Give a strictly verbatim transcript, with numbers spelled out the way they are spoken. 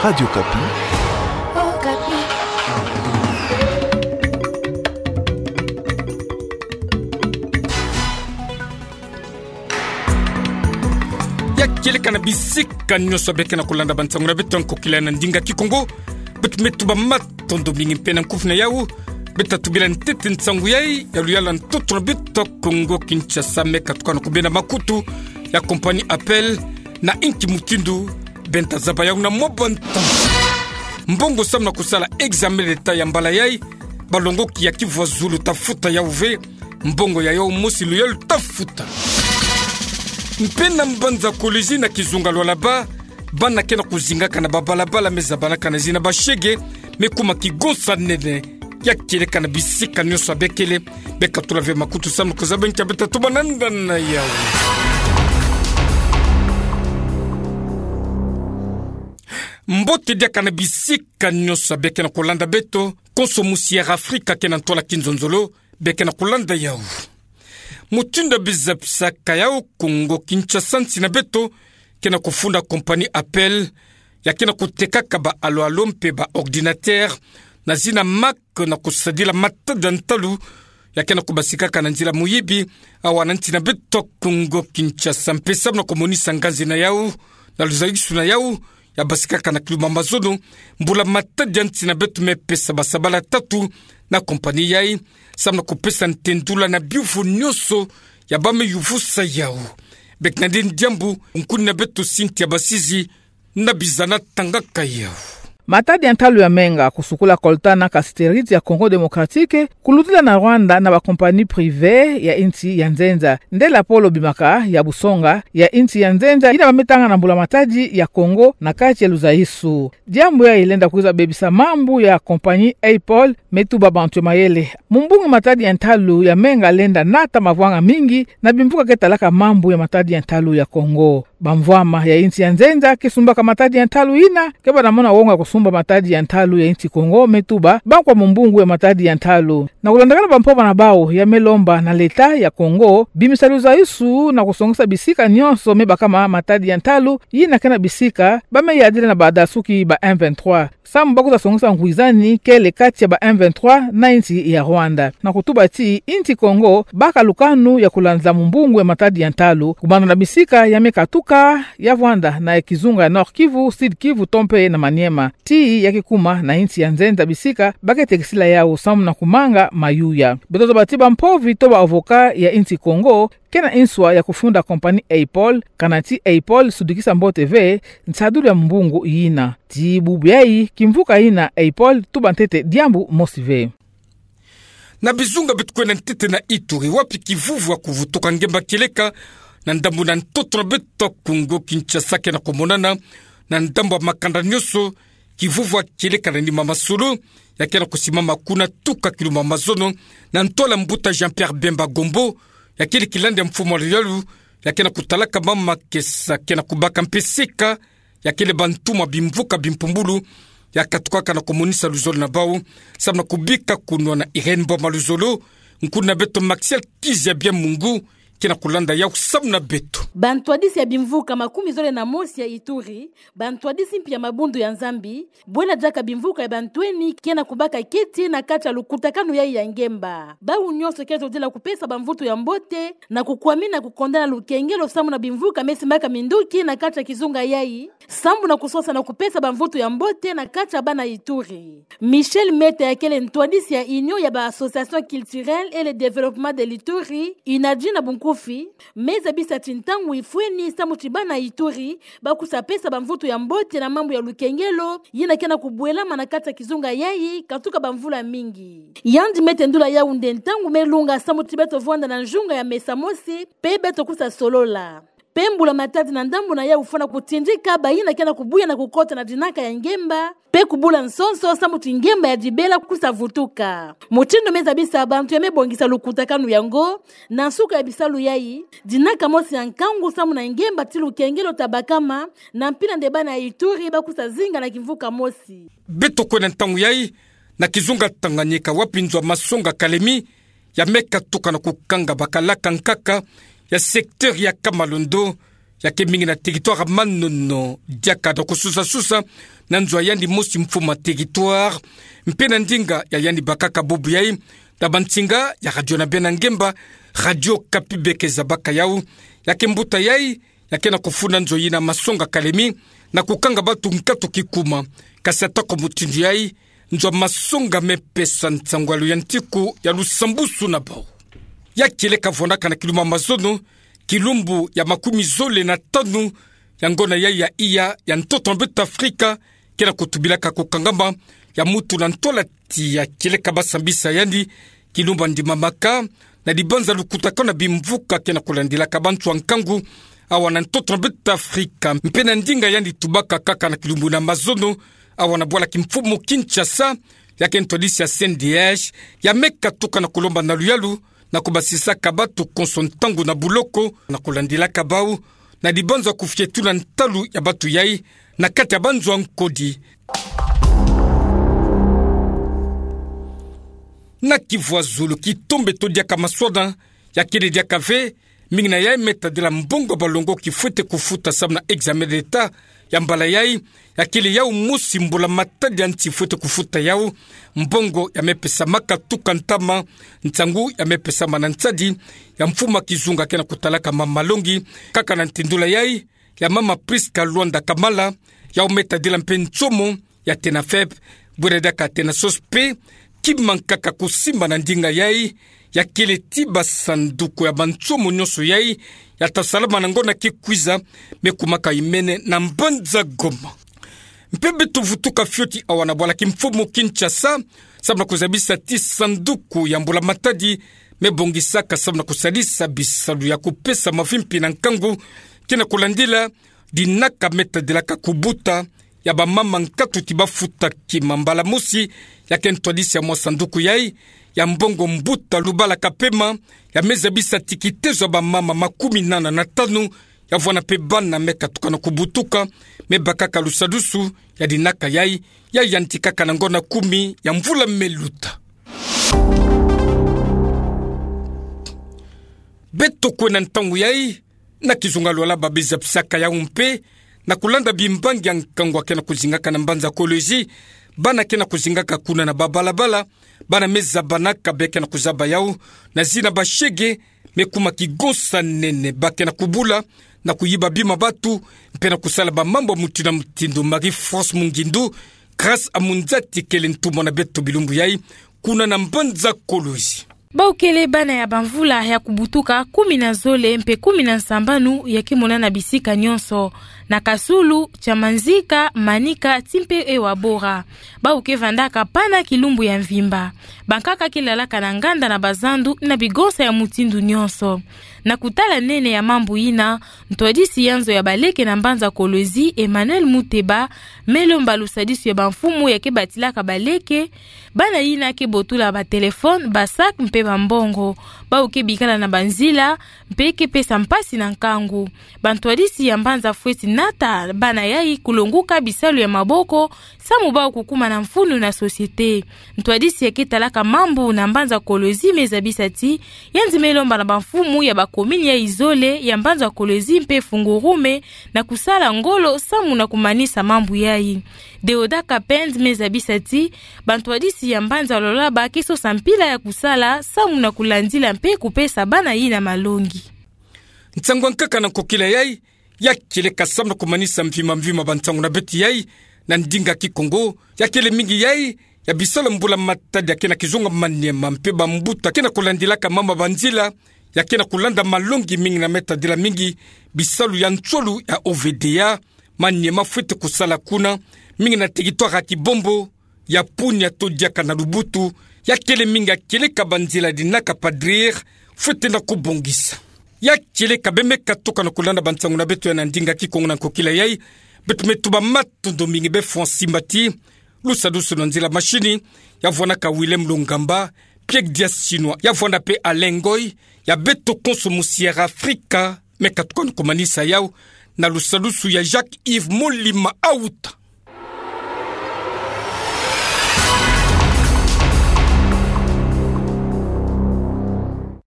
Radio Okapi. Ya kieleka na bisika nyonso beke na kolanda bansangu na beto ya nkokila na ndinga Kikongo. Beto me tuba matondo mingi mpe na nkufi na yau. Beta tubila ntete nsangu yai ya luyalu na ntoto na beto Kongo Kinshasa, me katuka na kubenda makutu ya compagnie Apple na inki mutindu benda zaba yau na mwa bantangu. Mbongo samu na kusala examen d'État ya mbala yai, balongoki ya kivwa zulu ta futa yau ve. Mbongo ya yau mosi luyalu ta futa. Mpe na mbanza Kolwezi na kizunga Lualaba, bana ke na kuzingaka na babalabala me zabanaka na zina bashege, me kuma kigonsa nene ya kieleka na bisika nyonso ya bekele. Beka tula ve makutu samu na kuzaba nkia beta tuba na nda na yau. Mbote diaka na bisika nyonso beke na kolanda beto, konso musi ya Afrika ke na ntwala kinzonzolo, beke na kolanda yau. Mutindu ya bizabisaka yau, Kongo Kinshasa, nsi na beto ke na kufunda compagnie Apple, ya ke na kutekaka ba alo-alo mpe ba ordinateur na zina marque na kusadila matadi ya ntalu ya ke na kubasikaka na nzila muyibi awa na nsi na beto Kongo Kinshasa. Mpe samu na kumonisa nganzi na yau na luzaisu na yau, ya basikaka na kilumbu ya mazono, mbula matadi ya nsi na beto me pesa basabala tatu na compagnie yai, samu na kupesa ntendula na biyuvu nyonso ya ba me yuvusa yau. Beke na nde diambu, nkuni na beto Cynthia Basizi na biza na tangaka yau. Matadi ya ntalu ya menga kusukula coltan na cassiterite ya Congo Démocratique, kulutila na Rwanda na ba compagnie privée ya insi ya nzenza. Nde lapolo bimaka ya busonga ya insi ya nzenza yina ba me tanga na mbula matadi ya Congo na kati ya luzaisu. Diambu yai lenda kwiza bebisa mambu ya compagnie Apple, me tuba bantu ya mayele. Mumbungu matadi ya ntalu ya menga lenda nata mavwanga mingi na bimvuka ke talaka mambu ya matadi ya ntalu ya Congo. Bamvwama ya insi ya nzenza ke sumbaka matadi ya ntalu yina, ke bana mona wonga kusumba matadi ya ntalu ya insi Congo, me tuba bankwa mumbungu ya matadi ya ntalu. Na kulandakana bampovana bau, ya me lomba na leta ya Congo bimisa luzaisu na kusongisa bisika nyonso me bakama matadi ya ntalu yina ke na bisika ba me yadila na badasuki ba M vingt-trois, samu ba kwiza songisa ngwizani kele kati ya ba M vingt-trois na insi ya Rwanda. Na kutuba ti insi Congo baka lukanu ya kulanza mumbungu ya matadi ya ntalu, kubanda na bisika ya me katuka ya Rwanda na ya kizunga ya Nord-Kivu, Sud-Kivu to mpe na Maniema. Ti ya ke kuma na insi ya nzenza bisika ba ke tekisila yau samu na kumanga mayuya. Beto zaba ti bampovi to ba avocat ya insi Congo ke na nswa ya kufunda compagnie Apple, kana ti Apple sudikisa mbote ve nsadulu ya mumbungu yina. Ti bubu yai, kimvuka yina Apple tuba ntete diambu mosi ve. Na bizunga beto kwenda ntete na Ituri, wapi kivuvu ya kuvutuka ngemba kieleka na ndambu na ntoto na beto Kongo Kinshasa ke na kumonana na ndambu ya makanda nyonso. Kivuvu ya kieleka na nima masolo ya ke na kusimama kuna tuka kilumbu ya mazono, na ntwala mbuta Jean-Pierre Bemba Gombo, ya kele kilandi ya mfumu ya luyalu ya ke na kutalaka mama kesa ke na kubaka mpe seka ya kele bantu ma bimvuka bimpumbulu, ya katukaka na kumonisa luzolo na bau, samu na kubika kunwa na Irène Mboma Luzolo. Nkuni na beto Maxiel Kizia Bia Mungu ke na kulanda yau samu na beto. Bantwadisi ya bimvuka makumi zole na mosi ya Ituri, bantwadisi mpi ya mabundu ya Nzambi, bwela diaka bimvuka ya bantweni ke na kubaka keti na kati ya lukutakanu yai ya ngemba. Bau nyonso ke zodila kupesa bamvutu ya mbote na kukwamina kukondana lukengelo samu na bimvuka me simbaka minduki na kati ya kizunga yai, sambu na kusosa na kupesa bamvutu ya mbote na kati ya bana Ituri. Michel Meta ya kele ntwadisi ya Union ya ba Associations Culturelles et le Développement de l'Ituri, UNADJI na bunkufi, me zabisa ti ntangu ifweni samu ti bana Ituri ba kwiza pesa bamvutu ya mbote na mambu ya lukengelo yina ke na kubwelama na kati ya kizunga yai katuka bamvula mingi. Yandi me tendula yau nde ntangu me lunga samu ti beto vwanda na nzunga ya mesa mosi, mpe beto kwiza solola. Mpe mbula matadi na ndambu na yau fwana kutindika bayina ke na kubuya na kukota na dinaka ya ngemba, mpe kubula nsonso samu ti ngemba ya dibela kwiza vutuka. Mutindu me zabisa bantu ya me bongisa lukutakanu yango, na nsuka ya bisalu yai, dinaka mosi ya nkangu samu na ngemba ti lukengelo ta bakama, na mpila nde bana ya Ituri ba kwiza zinga na kimvuka mosi. Beto kwenda ntangu yai na kizunga Tanganyika, wapi nzo ya masonga Kalemi ya me katuka na kukanga bakalaka nkaka ya secteur ya Kamalondo, ya ke mingi na territoire Manono, diaka na kususasusa na nzo ya yandi mosi mfumu a territoire, mpe na ndinga ya yandi bakaka bubu yai, na bansinga ya radio na bena ngemba, Radio Okapi, beke zabaka yau, ya ke mbuta yai, ya ke na kufunda nzo yina Masonga Kalemi, na kukanga batu nkatu kikuma. Kasi atako mutindu yai, nzo ya Masonga me pesa nsangu ya luyantiku ya lusambusu na bau. Ya kieleka vwandaka na kilumbu ya mazono, kilumbu ya makumi zole na tanu ya ngona yai ya iya ya ntoto na beto Afrika, ke na kutubilaka kukangama ya mutu na ntwala tiya. Kieleka basambisa yandi, kilumbu ya ndimamaka na dibanza lukutakanu na bimvuka ke na kulandilaka bantu ya nkangu awa na ntoto na beto Afrika. Mpe na ndinga yandi tubaka kaka na kilumbu na mazono, awa na bwala kimfumu Kinshasa, ya ke ntwadisi ya C N D H, ya me katuka na kulomba na luyalu na kubasisaka batu konso ntangu na buloko, na kulandilaka bau na dibanza kufietula ntalu ya batu yai na kati ya banzo ya nkodi. Na Kivu ya zulu, kitombe to diaka maswana, ya kele diaka ve, mingi na yai me tadila mbongo ya balongoki fwete kufuta samu na examen d'État ya mbala yai, ya kele yau mosi mbula matadi ya nsi fwete kufuta yau. Mbongo ya me pesamaka tuka ntama, nsangu ya me pesama na nsadi ya mfumu a kizunga ke na kutalaka mama malongi, kaka na ntindula yai ya mama Prisca Luanda Kamala, yau me tadila mpe nsomo ya TENAFEP, bwira diaka TENASOS mpe, kima nkaka kusimba na ndinga yai, ya kele ti basanduku ya bansomo nyonso yai ya ta salama na ngonda ke kwiza, me kumaka imene na mbanza Goma. Mpe beto vutuka fioti awa na bwala kimfumu Kinshasa, samu na kuzabisa ti sanduku ya mbula matadi me bongisaka samu na kusalisa bisalu ya kupesa mavimpi na nkangu ke na kulandila dinaka me tadilaka kubuta ya bamama nkatu ti bafuta kima mbala mosi, ya ke ntwadisi ya mwa sanduku yai ya mbongo mbuta Lubala Kapema, ya me zabisa ti kitezo ya bamama makumi nana na tanu ya vwanda mpe bana me katuka na kubutuka, me bakaka lusadusu ya dinaka yai, ya yantikaka na ngonda kumi ya mvula me luta. Beto kwe na ntangu yai, na kizunga lwala ba biza pisaka yau mpe, na kulanda bimbangi ya nkangu ya ke na kuzingaka na mbanza Kolwezi, bana ke na kuzingaka kuna na babalabala, bana me zabanaka be ke na kuzaba yau na zina bashege, me kuma kigonsa nene, ba ke na kubula, na kuyiba bima batu, mpe na kusala bamambu ya mutindu na mutindu. Marie-France Mungindu, Grâce Amunzati kele ntumwa na beto bilumbu yai, kuna na mbanza Kolwezi. Bau kele bana ya bamvula ya kubutuka kumi na zole mpe kumi na nsambanu ya ke monana bisika nyonso, na Kasulu, Chamanzika, Manika, ti mpe Ewabora. Bau ke vandaka pana kilumbu ya mvimba. Bankaka ke lalaka na nganda na bazandu na bigonsa ya mutindu nyonso. Na kutala nene ya mambu yina, ntwadisi ya nzo ya baleke na mbanza Kolwezi, Emmanuel Muteba, me lomba lusadisu ya bamfumu ya ke batilaka baleke, bana yina ke botula batelefone, basak mpe bambongo. Bau ke bikala na banzila, mpe ke pesa mpasi na nkangu. Bantwadisi ya mbanza fweti nata bana yai kulonguka bisalu ya maboko, samu bau kukuma na mfunu na société. Ntwadisi ya ke talaka mambu na mbanza Kolwezi me zabisa ti, yandi me lomba na bamfumu ya bakomini yai zole ya mbanza Kolwezi mpe Fungurume na kusala ngolo samu na kumanisa mambu yai. Deoda Kapend me zabisa ti, bantwadisi ya mbanza Lualaba ke sosa mpila ya kusala samu na kulandila mpe kupesa bana yina malongi. Nsangu ya nkaka na nkokila yai, ya kieleka samu na kumanisa mvimamvima bansangu na beto yai na ndinga Kikongo, ya kele mingi yai ya bisalu ya mbula matadi ya ke na kizunga Maniema, mpe bambuta ke na kulandilaka mama banzila ya ke na kulanda malongi mingi na me tadila mingi bisalu ya nswalu ya O V D A, Maniema fweti kusala kuna, mingi na territoire ya Kibombo, ya Punia to diaka na Lubutu, ya kele mingi ya kieleka banzila dinaka padrir fweti na kubongisa. Ya kieleka be me katuka na kulanda bansangu na beto yai na ndinga Kikongo na nkokila yai, beto me tuba matondo mingi be fwa nsimba ti lusadusu na nzila mashini, ya vwanaka Willem Longamba, Pierre Diasinois, ya vwanda mpe Alain Ngoy, ya beto konso mu Sierra Africa, me katuka na kumanisa yau na lusadusu ya Jacques Yves Molima Auta.